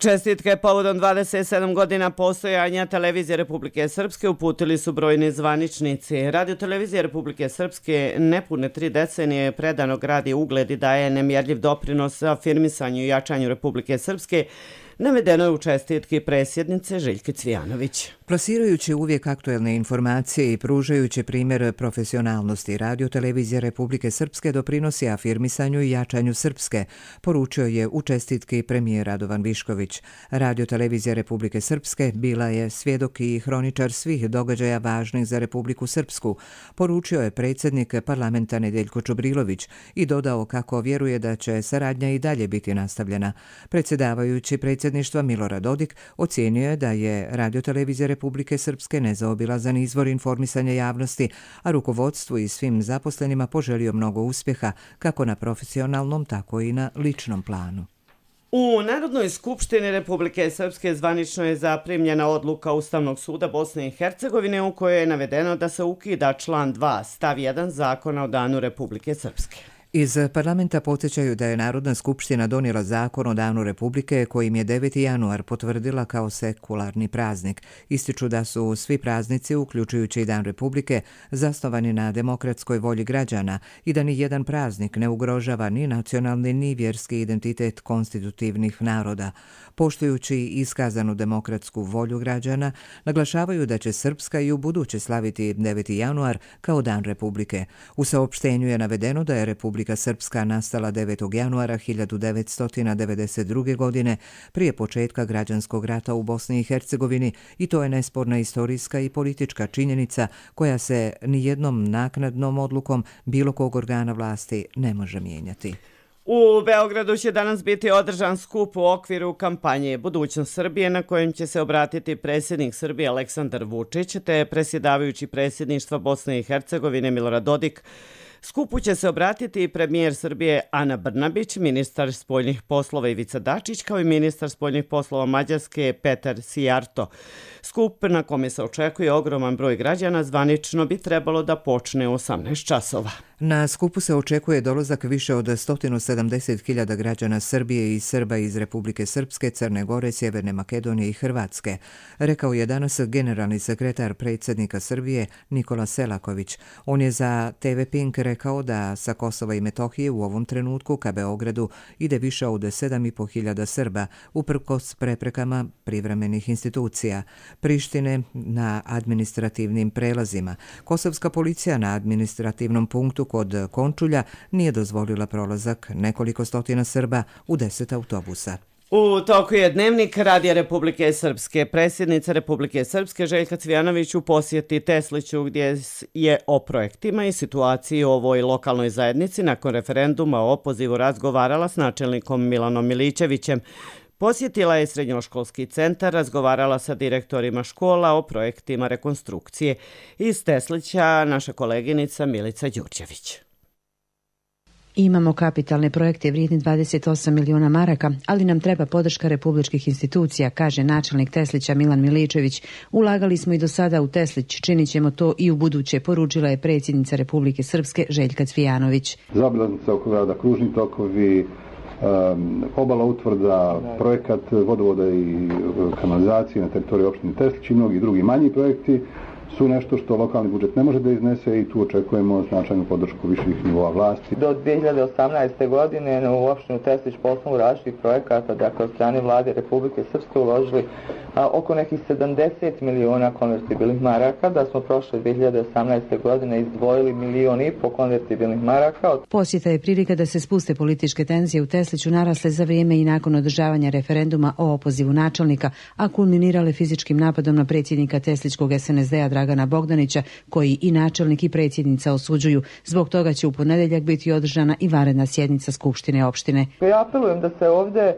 Čestitke povodom 27 godina postojanja Televizije Republike Srpske uputili su brojni zvaničnici. Radio Televizije Republike Srpske nepune 3 decenije predano gradi ugled i daje nemjerljiv doprinos afirmisanju i jačanju Republike Srpske, navedeno je u čestitki predsjednice Željke Cvijanović. Plasirajući uvijek aktuelne informacije i pružajući primjer profesionalnosti, Radio Televizija Republike Srpske doprinosi afirmisanju i jačanju Srpske, poručio je u čestitki premijer Radovan Višković. Radio Televizija Republike Srpske bila je svjedok i hroničar svih događaja važnih za Republiku Srpsku, poručio je predsjednik parlamenta Nedeljko Čubrilović i dodao kako vjeruje da će saradnja i dalje biti nastavljena. Predsjedavajući predsjedništva Milorad Dodik ocijenio je da je Radio Televizija Republike Srpske nezaobilazan izvor informisanja javnosti, a rukovodstvu i svim zaposlenima poželio mnogo uspjeha kako na profesionalnom, tako i na ličnom planu. U Narodnoj skupštini Republike Srpske zvanično je zaprimljena odluka Ustavnog suda Bosne i Hercegovine u kojoj je navedeno da se ukida član 2 stav 1 Zakona o Danu Republike Srpske. Iz parlamenta podsjećaju da je Narodna skupština donijela zakon o Danu Republike kojim je 9. januar potvrdila kao sekularni praznik. Ističu da su svi praznici, uključujući i Dan Republike, zasnovani na demokratskoj volji građana i da ni jedan praznik ne ugrožava ni nacionalni ni vjerski identitet konstitutivnih naroda. Poštujući iskazanu demokratsku volju građana, naglašavaju da će Srpska i u buduće slaviti 9. januar kao Dan Republike. U saopštenju je navedeno da je Republika Srpska nastala 9. januara 1992. godine prije početka građanskog rata u Bosni i Hercegovini i to je nesporna istorijska i politička činjenica koja se nijednom naknadnom odlukom bilo kog organa vlasti ne može mijenjati. U Beogradu će danas biti održan skup u okviru kampanje Budućnost Srbije na kojem će se obratiti predsjednik Srbije Aleksandar Vučić te predsjedavajući predsjedništva Bosne i Hercegovine Milorad Dodik. Skupu će se obratiti i premijer Srbije Ana Brnabić, ministar spoljnih poslova Ivica Dačić, kao i ministar spoljnih poslova Mađarske Petar Sijarto. Skup na kome se očekuje ogroman broj građana zvanično bi trebalo da počne u 18 časova. Na skupu se očekuje dolazak više od 170.000 građana Srbije i Srba iz Republike Srpske, Crne Gore, Sjeverne Makedonije i Hrvatske, rekao je danas generalni sekretar predsjednika Srbije Nikola Selaković. On je za TV Pink rekao da sa Kosova i Metohije u ovom trenutku ka Beogradu ide više od 7.500 Srba, uprkos preprekama privremenih institucija. Prištine na administrativnim prelazima. Kosovska policija na administrativnom punktu kod Končulja nije dozvolila prolazak nekoliko stotina Srba u 10 autobusa. U toku je dnevnik Radija Republike Srpske. Predsjednica Republike Srpske Željka Cvijanović u posjeti Tesliću gdje je o projektima i situaciji u ovoj lokalnoj zajednici nakon referenduma o opozivu razgovarala s načelnikom Milanom Milićevićem. Posjetila je srednjoškolski centar, razgovarala sa direktorima škola o projektima rekonstrukcije. Iz Teslića naša koleginica Milica Đurđević. Imamo kapitalne projekte vrijedni 28 miliona maraka, ali nam treba podrška republičkih institucija, kaže načelnik Teslića Milan Miličević. Ulagali smo i do sada u Teslić, činit ćemo to i u buduće, poručila je predsjednica Republike Srpske Željka Cvijanović. Zaobilaznica oko grada, kružni tokovi, obala utvrda, projekat vodovoda i kanalizacije na teritoriji opštine Teslić i mnogi drugi manji projekti su nešto što lokalni budžet ne može da iznese i tu očekujemo značajnu podršku viših nivoa vlasti. Do 2018. godine u opštinu Teslić po osnovu različitih projekata, dakle od strane vlade Republike Srpske uložili oko nekih 70 miliona konvertibilnih maraka, da smo prošle 2018. godine izdvojili 1,5 miliona konvertibilnih maraka. Posjeta je prilika da se spuste političke tenzije u Tesliću narasle za vrijeme i nakon održavanja referenduma o opozivu načelnika, a kulminirale fizičkim napadom na predsjednika Teslićkog SNSD-a Dragana Bogdanića, koji i načelnik i predsjednica osuđuju. Zbog toga će u ponedjeljak biti održana i vanredna sjednica Skupštine opštine. Ja apelujem da se ovdje,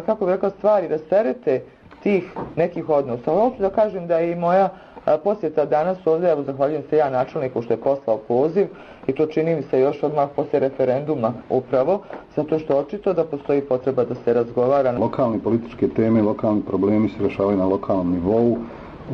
kako bi rekao, stvari rasterete tih nekih odnosa. Hoću da kažem da je i moja posjeta danas ovdje, evo zahvaljujem se ja načelniku što je poslao poziv i to čini mi se još odmah poslije referenduma upravo, zato što očito da postoji potreba da se razgovara. Lokalne političke teme, lokalni problemi se rešavaju na lokalnom nivou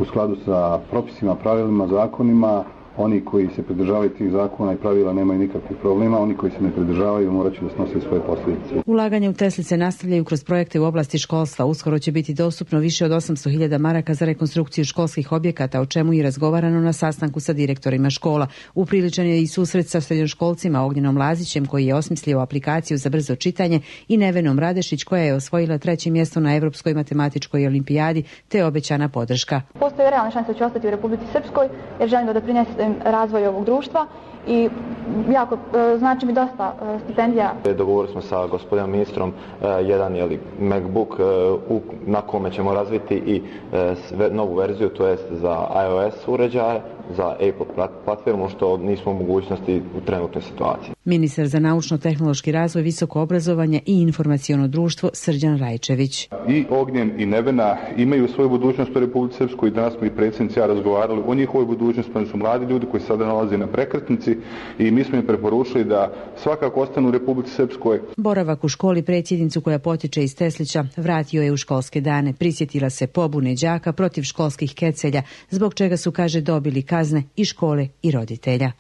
u skladu sa propisima, pravilima, zakonima, Oni koji se pridržavaju tih zakona i pravila nemaju nikakvih problema, oni koji se ne pridržavaju morat će da snose svoje posljedice. Ulaganje u Teslice nastavljaju kroz projekte u oblasti školstva. Uskoro će biti dostupno više od 800.000 maraka za rekonstrukciju školskih objekata, o čemu je razgovarano na sastanku sa direktorima škola. Upriličan je i susret sa srednjoškolcima Ognjenom Lazićem, koji je osmislio aplikaciju za brzo čitanje, i Nevenom Radešić, koja je osvojila 3. mjesto na Evropskoj matematičkoj olimpijadi, te obećana podrška. Postoje realne šanse da će ostati u Republici Srpskoj, jer želim da doprinesem razvoju ovog društva i jako znači mi dosta stipendija. Dogovorili smo sa gospodinom ministrom jedan MacBook na kome ćemo razviti i novu verziju, to jest za iOS uređaje, za Apple platformu, što nismo u mogućnosti u trenutnoj situaciji. Ministar za naučno-tehnološki razvoj, visoko obrazovanje i informaciono društvo Srđan Rajčević. I Ognjen i Nevena imaju svoju budućnost u Republici Srpskoj i danas smo i predsjednici ja razgovarali o njihovoj budućnosti, oni su mladi ljudi koji sada nalaze na prekretnici i mi smo im preporučili da svakako ostanu u Republici Srpskoj. Boravak u školi predsjednicu, koja potiče iz Teslića, vratio je u školske dane. Prisjetila se pobune đaka protiv školskih kecelja, zbog čega su, kaže, dobili kazne i škole i roditelja.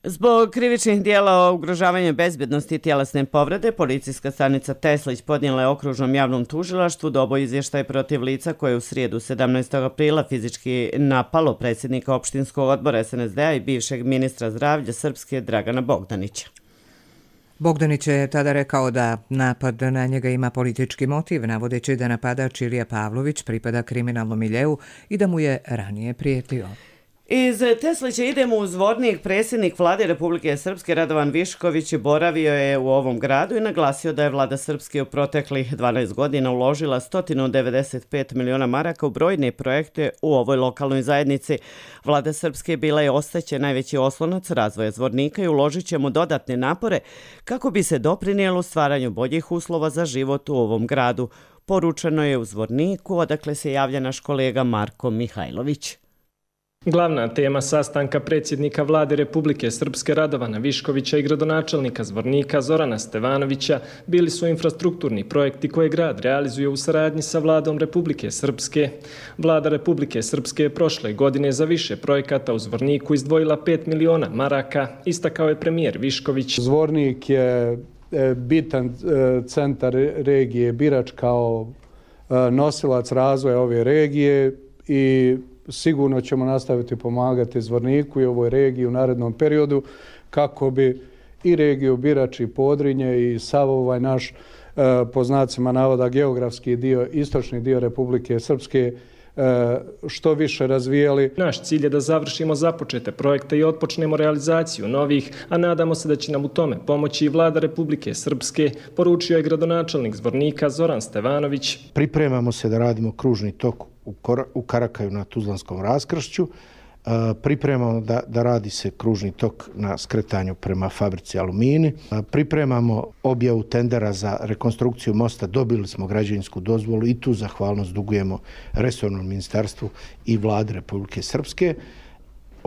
Zbog krivičnih dijela ugrožavanja bezbjednosti i tjelesne povrede, policijska stanica Teslić podnijela je okružnom javnom tužilaštvu dobo izvještaj protiv lica koje je u srijedu 17. aprila fizički napalo predsjednika opštinskog odbora SNSD-a i bivšeg ministra zdravlja Srpske Dragana Bogdanića. Bogdanić je tada rekao da napad na njega ima politički motiv, navodeći da napadač Ilija Pavlović pripada kriminalnom miljeu i da mu je ranije prijetio. Iz Teslića idemo u Zvornik. Predsjednik vlade Republike Srpske Radovan Višković boravio je u ovom gradu i naglasio da je vlada Srpske u proteklih 12 godina uložila 195 miliona maraka u brojne projekte u ovoj lokalnoj zajednici. Vlada Srpske bila je ostaće najveći oslonac razvoja Zvornika i uložit ćemo dodatne napore kako bi se doprinijelo stvaranju boljih uslova za život u ovom gradu. Poručeno je u Zvorniku, odakle se javlja naš kolega Marko Mihajlović. Glavna tema sastanka predsjednika vlade Republike Srpske Radovana Viškovića i gradonačelnika Zvornika Zorana Stevanovića bili su infrastrukturni projekti koje grad realizuje u saradnji sa vladom Republike Srpske. Vlada Republike Srpske je prošle godine za više projekata u Zvorniku izdvojila 5 miliona maraka, istakao je premijer Višković. Zvornik je bitan centar regije, Birač kao nosilac razvoja ove regije i sigurno ćemo nastaviti pomagati Zvorniku i ovoj regiji u narednom periodu kako bi i regiju Birač i Podrinje i sav ovaj naš, po znacima navoda, geografski dio, istočni dio Republike Srpske što više razvijali. Naš cilj je da završimo započete projekte i otpočnemo realizaciju novih, a nadamo se da će nam u tome pomoći i vlada Republike Srpske, poručio je gradonačelnik Zvornika Zoran Stevanović. Pripremamo se da radimo kružni tok u Karakaju na Tuzlanskom raskršću. Pripremamo da radi se kružni tok na skretanju prema fabrici Alumini. Pripremamo objavu tendera za rekonstrukciju mosta. Dobili smo građevinsku dozvolu i tu zahvalnost dugujemo resornom ministarstvu i vladi Republike Srpske.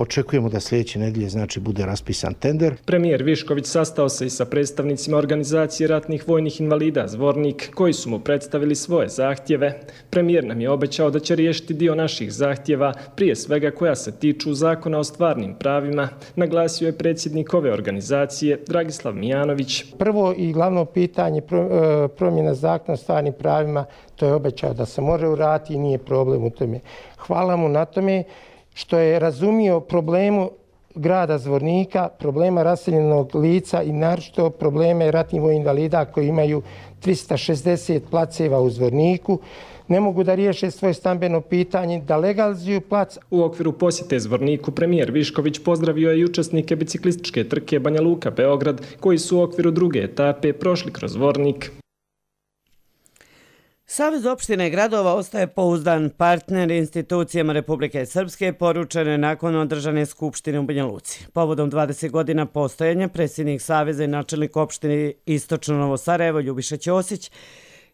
Očekujemo da sljedeće nedelje bude raspisan tender. Premijer Višković sastao se i sa predstavnicima organizacije ratnih vojnih invalida Zvornik, koji su mu predstavili svoje zahtjeve. Premijer nam je obećao da će riješiti dio naših zahtjeva, prije svega koja se tiču zakona o stvarnim pravima, naglasio je predsjednik ove organizacije Dragislav Mijanović. Prvo i glavno pitanje promjena zakona o stvarnim pravima, to je obećao da se može uraditi i nije problem u tome. Hvala mu na tome što je razumio problemu grada Zvornika, problema raseljenog lica i naročito probleme ratnih vojnih invalida koji imaju 360 placeva u Zvorniku. Ne mogu da riješe svoje stambeno pitanje, da legalizuju plac. U okviru posjete Zvorniku premijer Višković pozdravio je i učesnike biciklističke trke Banja Luka Beograd, koji su u okviru druge etape prošli kroz Zvornik. Savez opština i gradova ostaje pouzdan partner institucijama Republike Srpske, poručene nakon održane skupštine u Banja Luci. Povodom 20 godina postojanja, predsjednik Saveza i načelnik opštine Istočno Novo Sarajevo Ljubiša Ćosić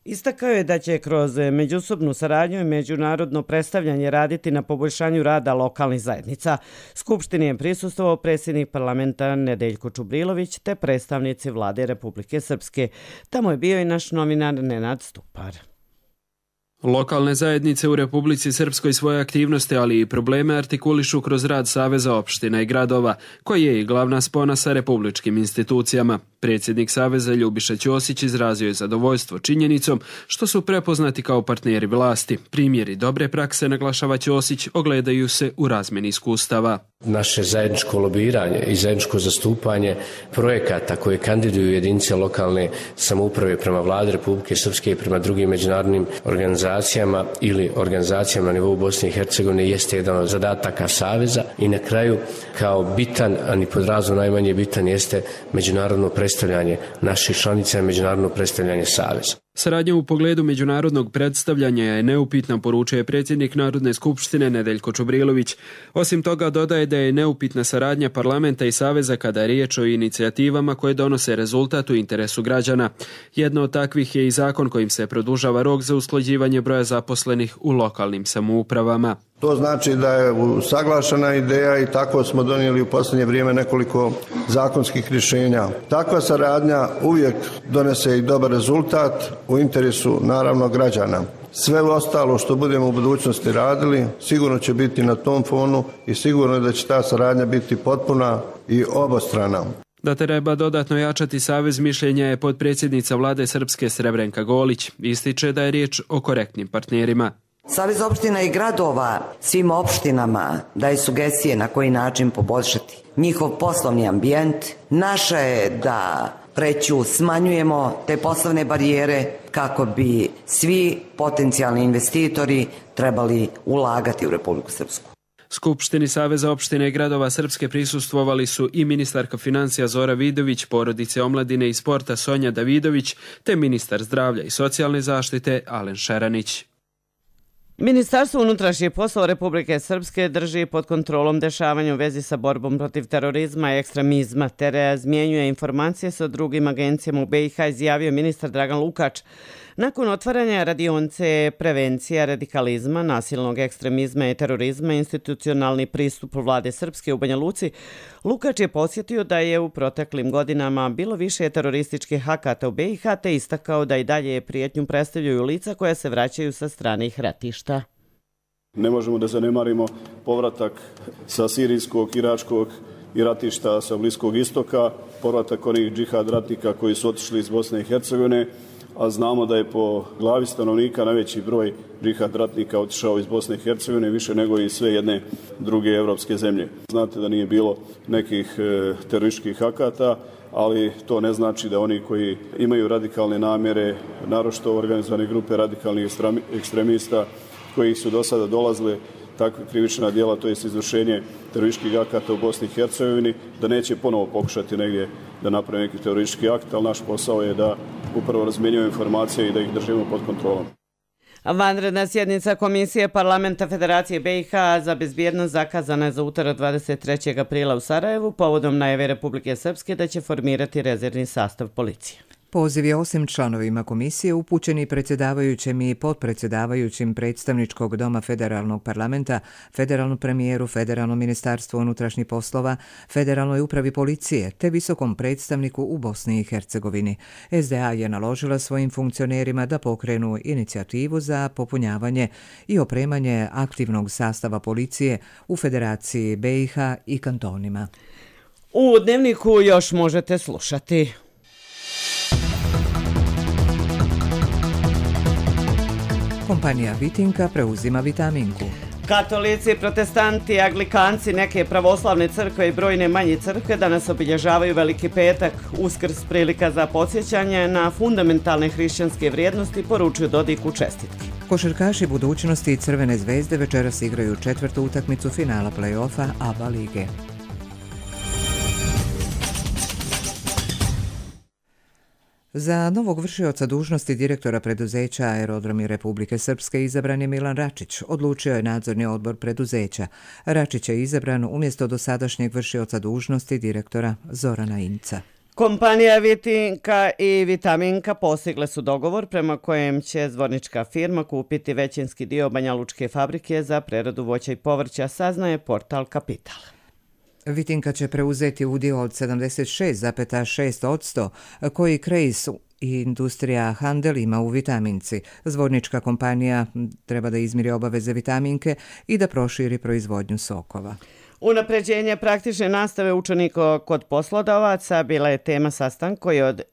istakao je da će kroz međusobnu saradnju i međunarodno predstavljanje raditi na poboljšanju rada lokalnih zajednica. Skupštini je prisustvovao predsjednik parlamenta Nedeljko Čubrilović te predstavnici vlade Republike Srpske. Tamo je bio i naš novinar Nenad Stupar. Lokalne zajednice u Republici Srpskoj svoje aktivnosti, ali i probleme artikulišu kroz rad Saveza opština i gradova, koji je i glavna spona sa republičkim institucijama. Predsjednik Saveza Ljubiša Ćosić izrazio je zadovoljstvo činjenicom što su prepoznati kao partneri vlasti. Primjeri dobre prakse, naglašava Ćosić, ogledaju se u razmjeni iskustava. Naše zajedničko lobiranje i zajedničko zastupanje projekata koje kandiduju jedinice lokalne samouprave prema vladi Republike Srpske i prema drugim međunarodnim organizacijama ili organizacijama na nivou Bosne i Hercegovine jeste jedan od zadataka Saveza i na kraju kao bitan, a ni pod razno najmanje bitan jeste međunarodno predstavljanje naših članica i međunarodno predstavljanje Saveza. Saradnja u pogledu međunarodnog predstavljanja je neupitna, poručuje predsjednik Narodne skupštine Nedeljko Čubrilović. Osim toga dodaje da je neupitna saradnja parlamenta i Saveza kada je riječ o inicijativama koje donose rezultat u interesu građana. Jedno od takvih je i zakon kojim se produžava rok za usklađivanje broja zaposlenih u lokalnim samoupravama. To znači da je usaglašena ideja i tako smo donijeli u posljednje vrijeme nekoliko zakonskih rješenja. Takva saradnja uvijek donese i dobar rezultat u interesu naravno građana. Sve ostalo što budemo u budućnosti radili sigurno će biti na tom fonu i sigurno je da će ta saradnja biti potpuna i obostrana. Da treba dodatno jačati Savez mišljenja je potpredsjednica vlade Srpske Srebrenka Golić. Ističe da je riječ o korektnim partnerima. Savez opština i gradova svim opštinama daje sugestije na koji način poboljšati njihov poslovni ambijent. Naše je da smanjujemo te poslovne barijere kako bi svi potencijalni investitori trebali ulagati u Republiku Srpsku. Skupštini Saveza opštine i gradova Srpske prisustvovali su i ministarka financija Zora Vidović, porodice, omladine i sporta Sonja Davidović, te ministar zdravlja i socijalne zaštite Alen Šeranić. Ministarstvo unutrašnjih poslova Republike Srpske drži pod kontrolom dešavanja u vezi sa borbom protiv terorizma i ekstremizma, te razmjenjuje informacije sa drugim agencijama u BiH, izjavio ministar Dragan Lukač. Nakon otvaranja radionce prevencija radikalizma, nasilnog ekstremizma i terorizma, institucionalni pristup vlade Srpske u Banja Luci, Lukač je posjetio da je u proteklim godinama bilo više terorističkih akata u BiH, te istakao da i dalje prijetnju predstavljaju lica koja se vraćaju sa stranih ratišta. Ne možemo da zanemarimo povratak sa sirijskog, iračkog i ratišta sa Bliskog istoka, povratak onih džihad ratnika koji su otišli iz Bosne i Hercegovine, a znamo da je po glavi stanovnika najveći broj džihad ratnika otišao iz Bosne i Hercegovine više nego i sve jedne druge evropske zemlje. Znate da nije bilo nekih terorističkih akata, ali to ne znači da oni koji imaju radikalne namjere, naročito organizovane grupe radikalnih ekstremista koji su do sada dolazile takve krivična djela, to je izvršenje terorističkih akata u Bosni i Hercegovini, da neće ponovo pokušati negdje da naprave neki teroristički akt, ali naš posao je da upravo razmjenjujemo informacije i da ih držimo pod kontrolom. Vanredna sjednica Komisije Parlamenta Federacije BiH za bezbjednost zakazana je za utorak 23. aprila u Sarajevu povodom najave Republike Srpske da će formirati rezervni sastav policije. Poziv je osim članovima komisije upućeni predsjedavajućem i potpredsjedavajućim predstavničkog doma Federalnog parlamenta, federalnom premijeru, Federalnom ministarstvu unutrašnjih poslova, Federalnoj upravi policije te visokom predstavniku u Bosni i Hercegovini. SDA je naložila svojim funkcionerima da pokrenu inicijativu za popunjavanje i opremanje aktivnog sastava policije u Federaciji BiH i kantonima. U Dnevniku još možete slušati. Kompanija Vitinka preuzima Vitaminku. Katolici, protestanti, anglikanci, neke pravoslavne crkve i brojne manje crkve danas obilježavaju Veliki petak. Uskrs prilika za podsjećanje na fundamentalne hrišćanske vrijednosti, poručuju Dodiku čestitke. Košarkaši budućnosti i Crvene zvezde večeras igraju četvrtu utakmicu finala play-offa ABA lige. Za novog vršioca dužnosti direktora preduzeća Aerodromi Republike Srpske izabran je Milan Račić, odlučio je nadzorni odbor preduzeća. Račić je izabran umjesto dosadašnjeg vršioca dužnosti direktora Zorana Inca. Kompanija Vitinka i Vitaminka postigle su dogovor prema kojem će zvornička firma kupiti većinski dio Banjalučke fabrike za preradu voća i povrća, saznaje portal Kapital. Vitinka će preuzeti udio od 76,6% koji Krejs I industrija Handel ima u vitaminci. Zvornička kompanija treba da izmiri obaveze vitaminke i da proširi proizvodnju sokova. Unapređenje praktične nastave učenika kod poslodavaca bila je tema sastanka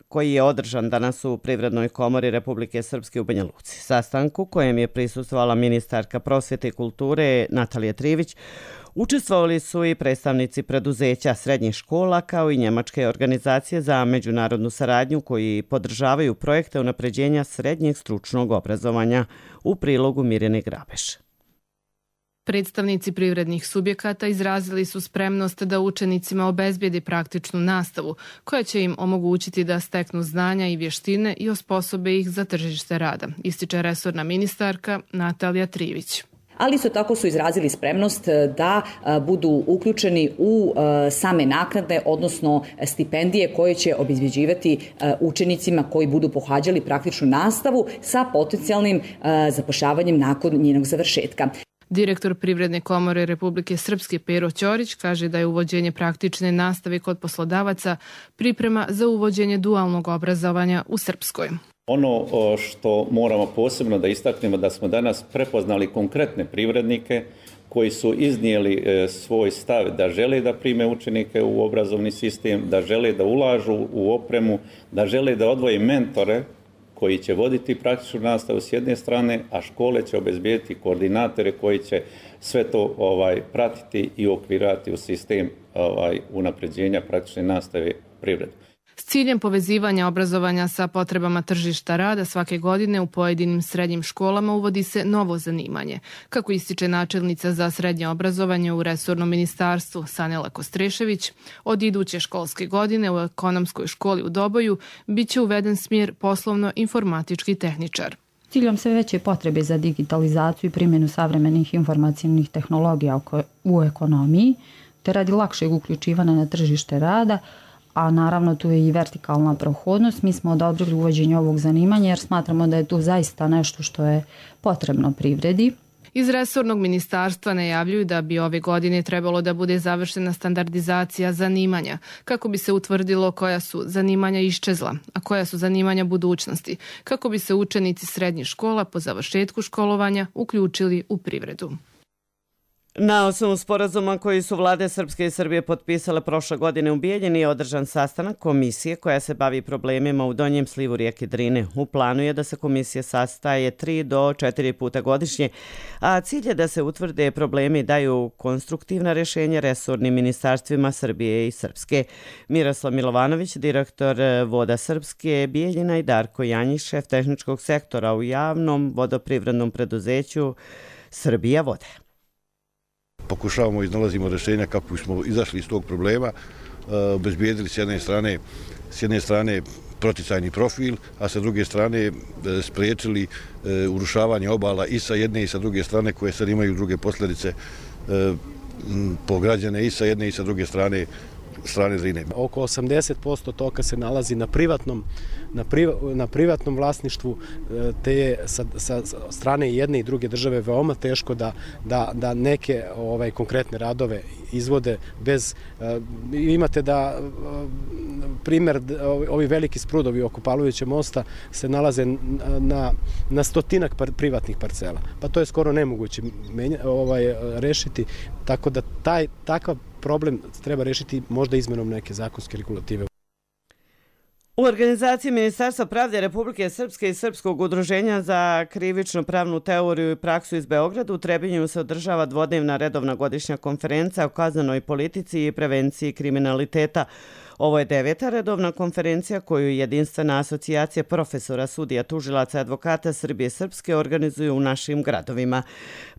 koji je održan danas u Privrednoj komori Republike Srpske u Banja Luci. Sastanku kojem je prisustvovala ministarka prosvete i kulture Natalija Trivić, učestvovali su i predstavnici preduzeća srednjih škola kao i njemačke organizacije za međunarodnu saradnju koji podržavaju projekte unapređenja srednjeg stručnog obrazovanja, u prilogu Mirjane Grabeš. Predstavnici privrednih subjekata izrazili su spremnost da učenicima obezbijedi praktičnu nastavu koja će im omogućiti da steknu znanja i vještine i osposobe ih za tržište rada, ističe resorna ministarka Natalija Trivić. Ali isto tako su izrazili spremnost da budu uključeni u same naknade, odnosno stipendije koje će obezbeđivati učenicima koji budu pohađali praktičnu nastavu sa potencijalnim zapošljavanjem nakon njenog završetka. Direktor Privredne komore Republike Srpske Pero Ćorić kaže da je uvođenje praktične nastave kod poslodavaca priprema za uvođenje dualnog obrazovanja u Srpskoj. Ono što moramo posebno da istaknemo da smo danas prepoznali konkretne privrednike koji su iznijeli svoj stav da žele da prime učenike u obrazovni sistem, da žele da ulažu u opremu, da žele da odvoje mentore koji će voditi praktičnu nastavu s jedne strane, a škole će obezbijeti koordinatore koji će sve to pratiti i okvirati u sistem unapređenja praktične nastave privrede. S ciljem povezivanja obrazovanja sa potrebama tržišta rada svake godine u pojedinim srednjim školama uvodi se novo zanimanje. Kako ističe načelnica za srednje obrazovanje u resornom ministarstvu Sanela Kostrešević, od iduće školske godine u ekonomskoj školi u Doboju bit će uveden smjer poslovno-informatički tehničar. Ciljom sve veće potrebe za digitalizaciju i primjenu savremenih informacijnih tehnologija u ekonomiji, te radi lakšeg uključivanja na tržište rada, a naravno tu je i vertikalna prohodnost. Mi smo odobrili uvođenje ovog zanimanja jer smatramo da je tu zaista nešto što je potrebno privredi. Iz resornog ministarstva najavljuju da bi ove godine trebalo da bude završena standardizacija zanimanja, kako bi se utvrdilo koja su zanimanja iščezla, a koja su zanimanja budućnosti, kako bi se učenici srednjih škola po završetku školovanja uključili u privredu. Na osnovu sporazuma koji su vlade Srpske i Srbije potpisale prošle godine u Bijeljini je održan sastanak komisije koja se bavi problemima u donjem slivu rijeke Drine. U planu je da se komisija sastaje 3 do 4 puta godišnje, a cilj je da se utvrde problemi i daju konstruktivna rješenja resornim ministarstvima Srbije i Srpske. Miroslav Milovanović, direktor Voda Srpske, Bijeljina, i Darko Janjić, šef tehničkog sektora u javnom vodoprivrednom preduzeću Srbija vode. Pokušavamo, iznalazimo rješenja kako smo izašli iz tog problema, obezbijedili s jedne strane proticajni profil, a sa druge strane spriječili urušavanje obala i sa jedne i sa druge strane, koje sad imaju druge posljedice po građane i sa jedne i sa druge strane Drine. Oko 80% toka se nalazi na privatnom vlasništvu, te je sa strane jedne i druge države veoma teško da neke konkretne radove izvode bez... Imate da primjer, ovi veliki sprudovi oko Pavlovića mosta se nalaze na stotinak privatnih parcela. Pa to je skoro nemoguće rešiti, tako da takav problem treba rešiti možda izmenom neke zakonske regulative. U organizaciji Ministarstva pravde Republike Srpske i Srpskog udruženja za krivično pravnu teoriju i praksu iz Beograda u Trebinju se održava dvodnevna redovna godišnja konferencija o kaznenoj politici i prevenciji kriminaliteta. Ovo je 9. redovna konferencija koju Jedinstvena asocijacija profesora, sudija, tužilaca i advokata Srbije i Srpske organizuju u našim gradovima.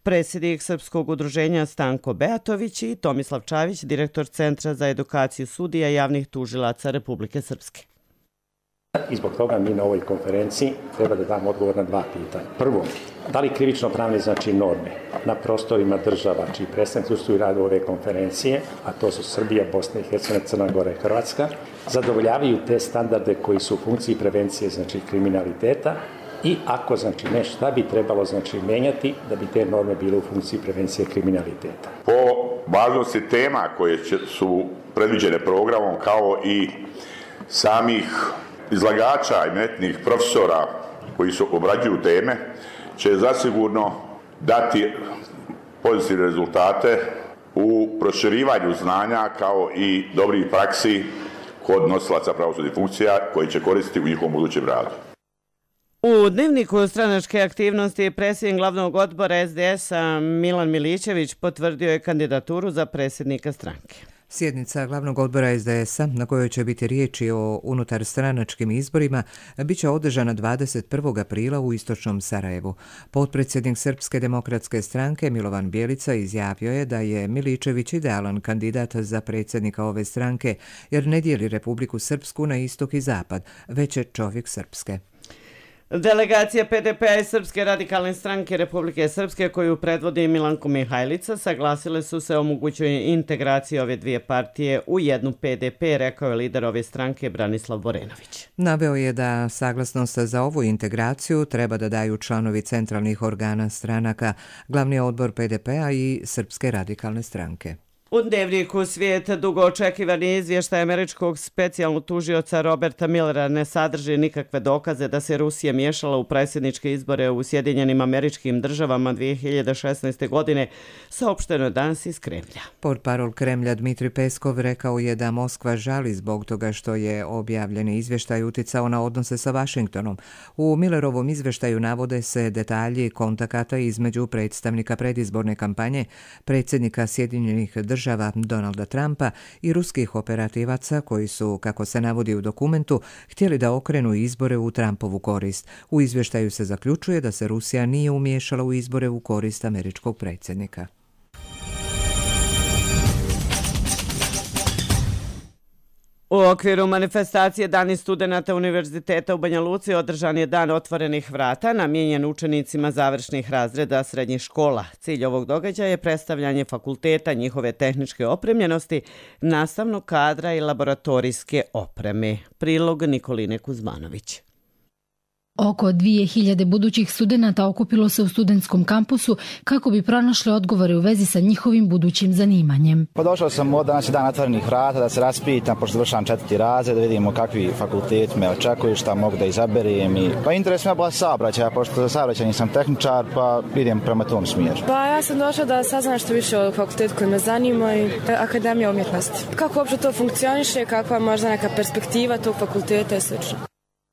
Predsjednik Srpskog udruženja Stanko Beatović i Tomislav Čavić, direktor Centra za edukaciju sudija i javnih tužilaca Republike Srpske. I zbog toga mi na ovoj konferenciji treba da damo odgovor na 2 pitanja. Prvo, da li krivično pravne norme na prostorima država čiji predstavnici učestvuju u radu ove konferencije, a to su Srbija, Bosna i Hercegovina, Crna Gora i Hrvatska, zadovoljavaju te standarde koji su u funkciji prevencije kriminaliteta, i ako ne, šta bi trebalo menjati da bi te norme bile u funkciji prevencije kriminaliteta. Po važnosti tema koje su predviđene programom kao i samih izlagača i eminentnih profesora koji su obrađuju teme će zasigurno dati pozitivne rezultate u proširivanju znanja kao i dobrih praksi kod nosilaca pravosudnih funkcija koji će koristiti u njihovom budućem radu. U dnevniku stranačke aktivnosti predsjednik glavnog odbora SDS-a Milan Milićević potvrdio je kandidaturu za predsjednika stranke. Sjednica glavnog odbora SDS-a, na kojoj će biti riječi o unutarstranačkim izborima, bit će održana 21. aprila u istočnom Sarajevu. Potpredsjednik Srpske demokratske stranke Milovan Bjelica izjavio je da je Milićević idealan kandidat za predsjednika ove stranke, jer ne dijeli Republiku Srpsku na istok i zapad, već je čovjek Srpske. Delegacija PDP-a i Srpske radikalne stranke Republike Srpske, koju predvodi Milanko Mihajlica, saglasile su se o mogućoj integraciji ove dvije partije u jednu PDP, rekao je lider ove stranke Branislav Borenović. Naveo je da saglasnost za ovu integraciju treba da daju članovi centralnih organa stranaka, glavni odbor PDP-a i Srpske radikalne stranke. U dnevniku Svijet dugo očekivani izvještaj američkog specijalnog tužioca Roberta Millera ne sadrži nikakve dokaze da se Rusija miješala u predsjedničke izbore u Sjedinjenim Američkim Državama 2016. godine, saopšteno je danas iz Kremlja. Portparol Kremlja Dmitri Peskov rekao je da Moskva žali zbog toga što je objavljeni izvještaj uticao na odnose sa Vašingtonom. U Millerovom izvještaju navode se detalji kontakata između predstavnika predizborne kampanje, predsjednika Sjedinjenih Država Donalda Trumpa i ruskih operativaca koji su, kako se navodi u dokumentu, htjeli da okrenu izbore u Trumpovu korist. U izvještaju se zaključuje da se Rusija nije umiješala u izbore u korist američkog predsjednika. U okviru manifestacije Dani studenata Univerziteta u Banja Luci održan je dan otvorenih vrata namijenjen učenicima završnih razreda srednjih škola. Cilj ovog događaja je predstavljanje fakulteta, njihove tehničke opremljenosti, nastavnog kadra i laboratorijske opreme. Prilog Nikoline Kuzmanović. Oko 2000 budućih studenata okupilo se u studentskom kampusu kako bi pronašli odgovore u vezi sa njihovim budućim zanimanjem. Došao sam od danas dan otvorenih vrata da se raspitam, pošto završavam 4. razred, da vidimo kakvi fakultet me očekuju, šta mogu da izaberem. Pa interes me bila saobraćaja, pošto za saobraćaj nisam tehničar, pa idem prema tom smjeru. Pa ja sam došla da saznam što više o fakultetu koji me zanima i Akademija umjetnosti. Kako uopće to funkcioniše, kakva možda neka perspektiva tog fakulteta i sl.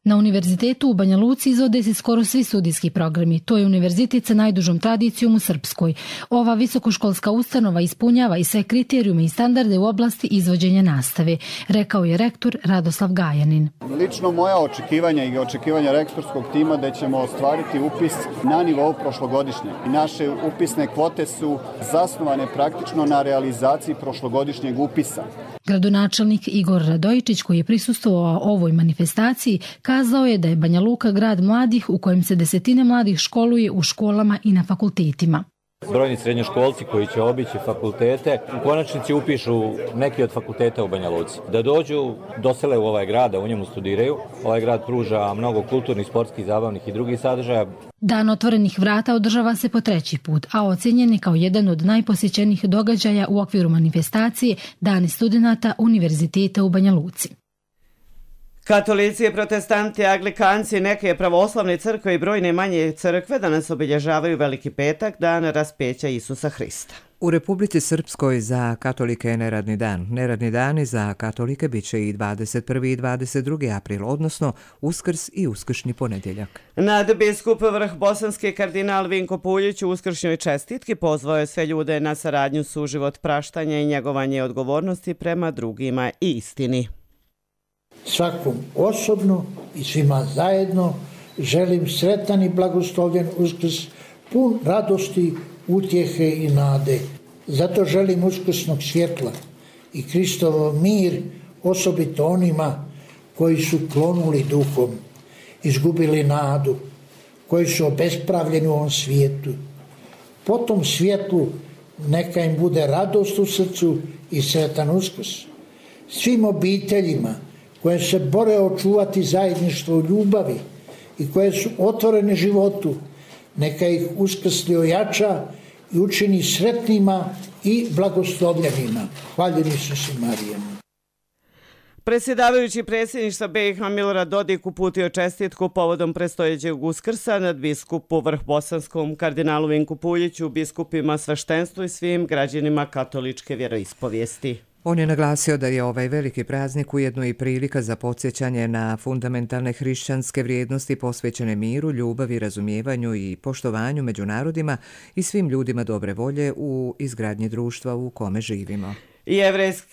Na univerzitetu u Banja Luci izvode se skoro svi studijski programi. To je univerzitet sa najdužom tradicijom u Srpskoj. Ova visokoškolska ustanova ispunjava i sve kriterijume i standarde u oblasti izvođenja nastave, rekao je rektor Radoslav Gajanin. Lično moja očekivanja i očekivanja rektorskog tima da ćemo ostvariti upis na nivou prošlogodišnje. I naše upisne kvote su zasnovane praktično na realizaciji prošlogodišnjeg upisa. Gradonačelnik Igor Radojičić, koji je prisustvovao ovoj manifestaciji, kazao je da je Banja Luka grad mladih u kojem se desetine mladih školuje u školama i na fakultetima. Brojni srednjoškolci koji će obići fakultete u konačnici upišu neki od fakulteta u Banja Luci. Da dođu, dosele u ovaj grad, da u njemu studiraju. Ovaj grad pruža mnogo kulturnih, sportskih, zabavnih i drugih sadržaja. Dan otvorenih vrata održava se po 3. put, a ocenjen je kao jedan od najposjećenijih događaja u okviru manifestacije Dani studenata Univerziteta u Banja Luci. Katolici, protestanti, anglikanci, neke pravoslavne crkve i brojne manje crkve danas obilježavaju Veliki petak, dan raspeća Isusa Hrista. U Republici Srpskoj za katolike je neradni dan. Neradni dani za katolike bit će i 21. i 22. april, odnosno Uskrs i Uskršnji ponedjeljak. Nadbiskup vrh bosanski kardinal Vinko Puljić u uskršnjoj čestitki pozvao je sve ljude na saradnju, suživot, praštanje i njegovanje odgovornosti prema drugima i istini. Svakom osobno i svima zajedno želim sretan i blagoslovljen Uskrs, pun radosti, utjehe i nade. Zato želim uskrsnog svjetla i Kristovo mir osobito onima koji su klonuli duhom, izgubili nadu, koji su obespravljeni u ovom svijetu. Po tom svjetlu neka im bude radost u srcu i sretan Uskrs. Svim obiteljima koje se bore očuvati zajedništvo u ljubavi i koje su otvorene životu, neka ih uskrsli ojača i učini sretnima i blagoslovljenima. Hvaljeni Isus i Marija. Predsjedavajući predsjedništva BiH Milorad Dodik uputio čestitku povodom predstojećeg Uskrsa nadbiskupu Vrhbosanskom kardinalu Vinku Puljiću, biskupima, sveštenstvu i svim građanima katoličke vjeroispovijesti. On je naglasio da je ovaj veliki praznik ujedno i prilika za podsjećanje na fundamentalne hrišćanske vrijednosti posvećene miru, ljubavi, razumijevanju i poštovanju među narodima i svim ljudima dobre volje u izgradnji društva u kome živimo.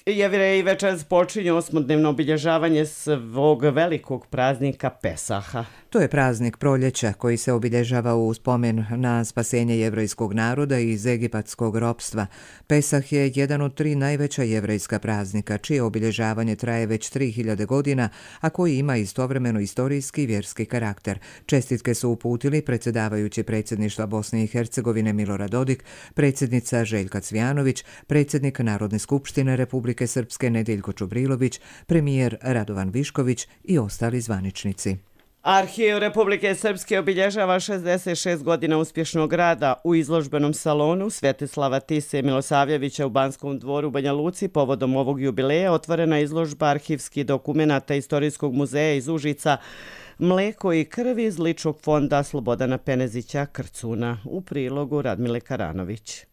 Jevreji večeras počinju 8-dnevno obilježavanje svog velikog praznika Pesaha. To je praznik proljeća koji se obilježava u spomen na spasenje jevrejskog naroda iz egipatskog ropstva. Pesah je jedan od 3 najveća jevrejska praznika, čije obilježavanje traje već 3000 godina, a koji ima istovremeno istorijski i vjerski karakter. Čestitke su uputili predsjedavajući predsjedništva Bosne i Hercegovine Milorad Dodik, predsjednica Željka Cvijanović, predsjednik Narodne skupštine Republike Srpske Nedeljko Čubrilović, premijer Radovan Višković i ostali zvaničnici. Arhiv Republike Srpske obilježava 66 godina uspješnog rada. U izložbenom salonu Svetislava Tise Milosavljevića u Banskom dvoru u Banja Luci povodom ovog jubileja otvorena izložba arhivskih dokumenata Istorijskog muzeja iz Užica Mleko i krv iz ličnog fonda Slobodana Penezića Krcuna. U prilogu Radmile Karanović.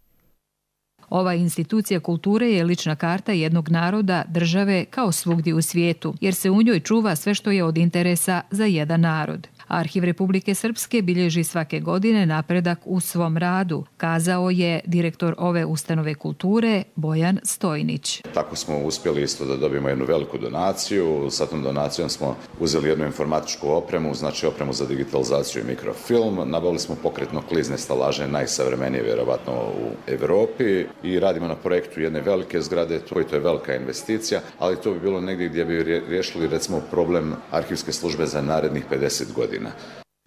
Ova institucija kulture je lična karta jednog naroda, države kao svugdje u svijetu, jer se u njoj čuva sve što je od interesa za jedan narod. Arhiv Republike Srpske bilježi svake godine napredak u svom radu, kazao je direktor ove ustanove kulture Bojan Stojnić. Tako smo uspjeli isto da dobijemo jednu veliku donaciju. Sa tom donacijom smo uzeli jednu informatičku opremu, znači opremu za digitalizaciju i mikrofilm. Nabavili smo pokretno klizne stalaže, najsavremenije vjerovatno u Europi, i radimo na projektu jedne velike zgrade. To je velika investicija, ali to bi bilo negdje gdje bi riješili recimo problem arhivske službe za narednih 50 godina.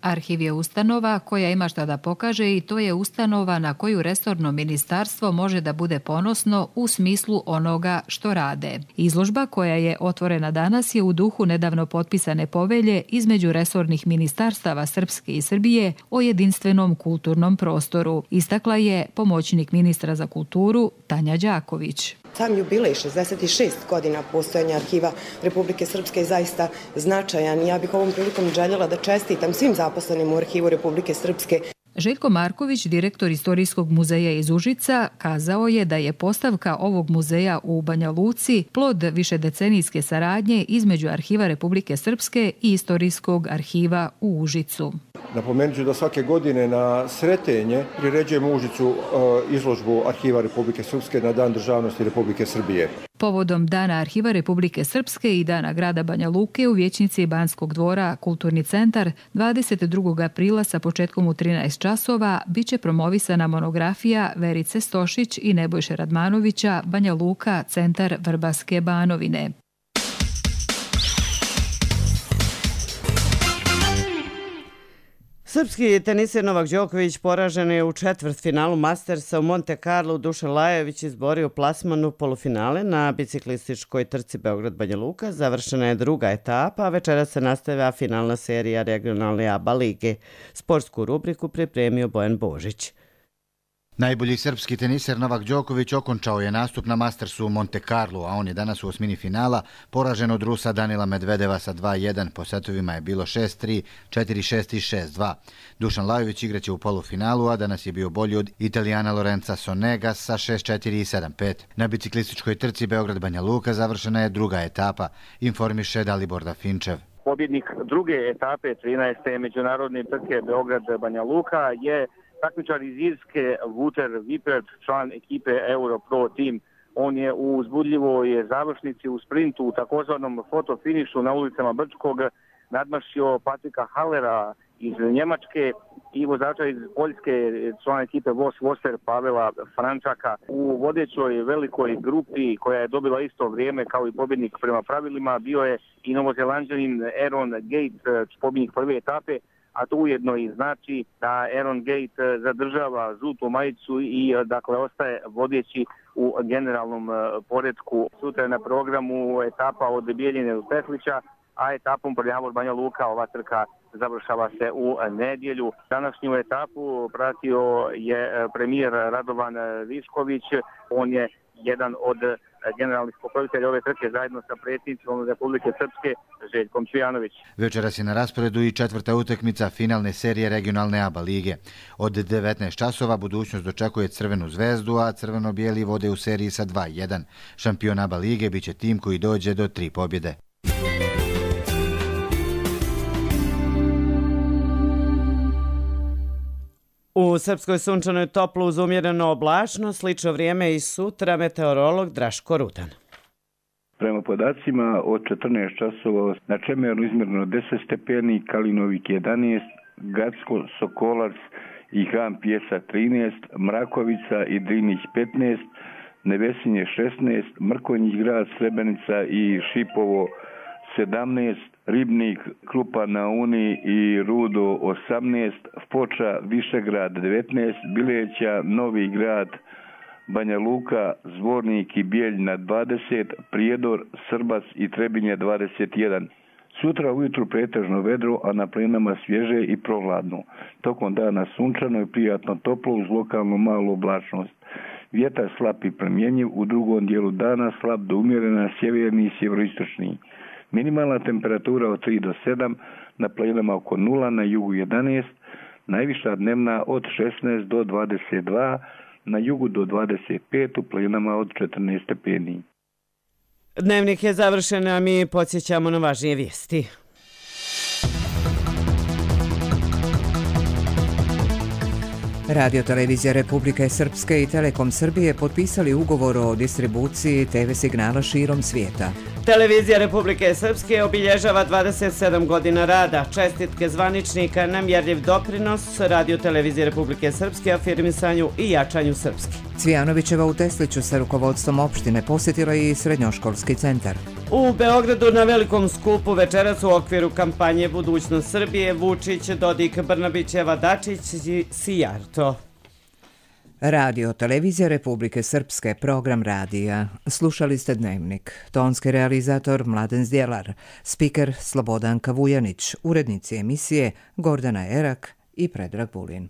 Arhiv je ustanova koja ima šta da pokaže i to je ustanova na koju resorno ministarstvo može da bude ponosno u smislu onoga što rade. Izložba koja je otvorena danas je u duhu nedavno potpisane povelje između resornih ministarstava Srpske i Srbije o jedinstvenom kulturnom prostoru, istakla je pomoćnik ministra za kulturu Tanja Đaković. Sam jubilej 66 godina postojanja Arhiva Republike Srpske je zaista značajan. Ja bih ovom prilikom željela da čestitam svim zaposlenim u Arhivu Republike Srpske. Željko Marković, direktor Istorijskog muzeja iz Užica, kazao je da je postavka ovog muzeja u Banja Luci plod višedecenijske saradnje između Arhiva Republike Srpske i Istorijskog arhiva u Užicu. Napomenut ću da svake godine na Sretenje priređujemo u Užicu izložbu Arhiva Republike Srpske na Dan državnosti Republike Srbije. Povodom Dana Arhiva Republike Srpske i Dana grada Banja Luke u vijećnici Banskog dvora Kulturni centar 22. aprila sa početkom u 13 časova biće promovisana monografija Verice Stošić i Nebojše Radmanovića Banja Luka, centar Vrbaske Banovine. Srpski teniser Novak Đoković poražen je u četvrtfinalu Mastersa u Monte Carlo. Dušan Lajović izborio plasman u polufinale na biciklističkoj trci Beograd-Banja Luka. Završena je druga etapa, a večeras se nastavlja finalna serija regionalne ABA lige. Sportsku rubriku pripremio Bojan Božić. Najbolji srpski teniser Novak Đoković okončao je nastup na Mastersu u Monte Carlo, a on je danas u osmini finala poražen od Rusa Danila Medvedeva sa 2-1. Po setovima je bilo 6-3, 4-6 i 6-2. Dušan Lajović igraće u polufinalu, a danas je bio bolji od Italijana Lorenza Sonega sa 6-4 i 7-5. Na biciklističkoj trci Beograd-Banja Luka završena je druga etapa, informiše Dalibor Dafinčev. Pobjednik druge etape 13. međunarodne trke Beograd-Banja Luka je takmičar iz Irske Wouter Wippert, član ekipe Europro Team. On je u uzbudljivoj završnici u sprintu u takozvanom fotofinišu na ulicama Brčkog nadmašio Patrika Hallera iz Njemačke i vozača iz Poljske, član ekipe Vos Voster Pavela Frančaka. U vodećoj velikoj grupi koja je dobila isto vrijeme kao i pobjednik prema pravilima bio je i novozelanđanin Aaron Gate, pobjednik prve etape, a to ujedno i znači da Aaron Gate zadržava žutu majicu i dakle ostaje vodeći u generalnom poretku. Sutra je na programu etapa od Bijeljine do Teslića, a etapom Prljavor Banja Luka ova trka završava se u nedjelju. Današnju etapu pratio je premijer Radovan Višković. On je jedan od generalni pokrovitelj ove trke zajedno sa predsjednicom Republike Srpske Željkom Cvijanović. Večeras je na rasporedu i četvrta utakmica finalne serije regionalne ABA lige. Od 19 časova budućnost dočekuje Crvenu zvezdu, a crveno-bijeli vode u seriji sa 2-1. Šampion ABA lige biće tim koji dođe do 3 pobjede. U Srpskoj sunčanoj toplo uz umjereno oblačno, slično vrijeme i sutra, meteorolog Draško Rudan. Prema podacima od 14 časova na Čemeru izmjereno 10 stepeni, Kalinovik 11, Gacko, Sokolac i Han Pjesa 13, Mrakovica i Drinić 15, Nevesinje 16, Mrkonjić grad, Srebrenica i Šipovo 17, Ribnik, Krupa na Uni i Rudo 18, Foča, Višegrad 19, Bileća, Novi grad, Banja Luka, Zvornik i Bijeljina 20, Prijedor, Srbac i Trebinje 21. Sutra ujutru pretežno vedro, a na planama svježe i prohladno. Tokom dana sunčano i prijatno toplo uz lokalnu malu oblačnost. Vjetar slab i promjenjiv, u drugom dijelu dana slab do umjerena sjeverni i sjeveroistočni. Minimalna temperatura od 3 do 7, na planama oko 0, na jugu 11, najviša dnevna od 16 do 22, na jugu do 25, u planama od 14 stepeni. Dnevnik je završen, a mi podsjećamo na važnije vijesti. Radio Televizija Republike Srpske i Telekom Srbije potpisali ugovor o distribuciji TV signala širom svijeta. Televizija Republike Srpske obilježava 27 godina rada. Čestitke zvaničnika na mjerljiv doprinos Radio Televizije Republike Srpske afirmisanju i jačanju srpske. Cvijanovićeva u Tesliću sa rukovodstvom opštine posjetila i srednjoškolski centar. U Beogradu na velikom skupu večeras u okviru kampanje Budućnost Srbije Vučić, Dodik, Brnabićeva, Dačić i Sijarto. Radio Televizija Republike Srpske, program radija. Slušali ste Dnevnik. Tonski realizator Mladen Zdjelar, spiker Slobodanka Vujanić, urednici emisije Gordana Erak i Predrag Vulin.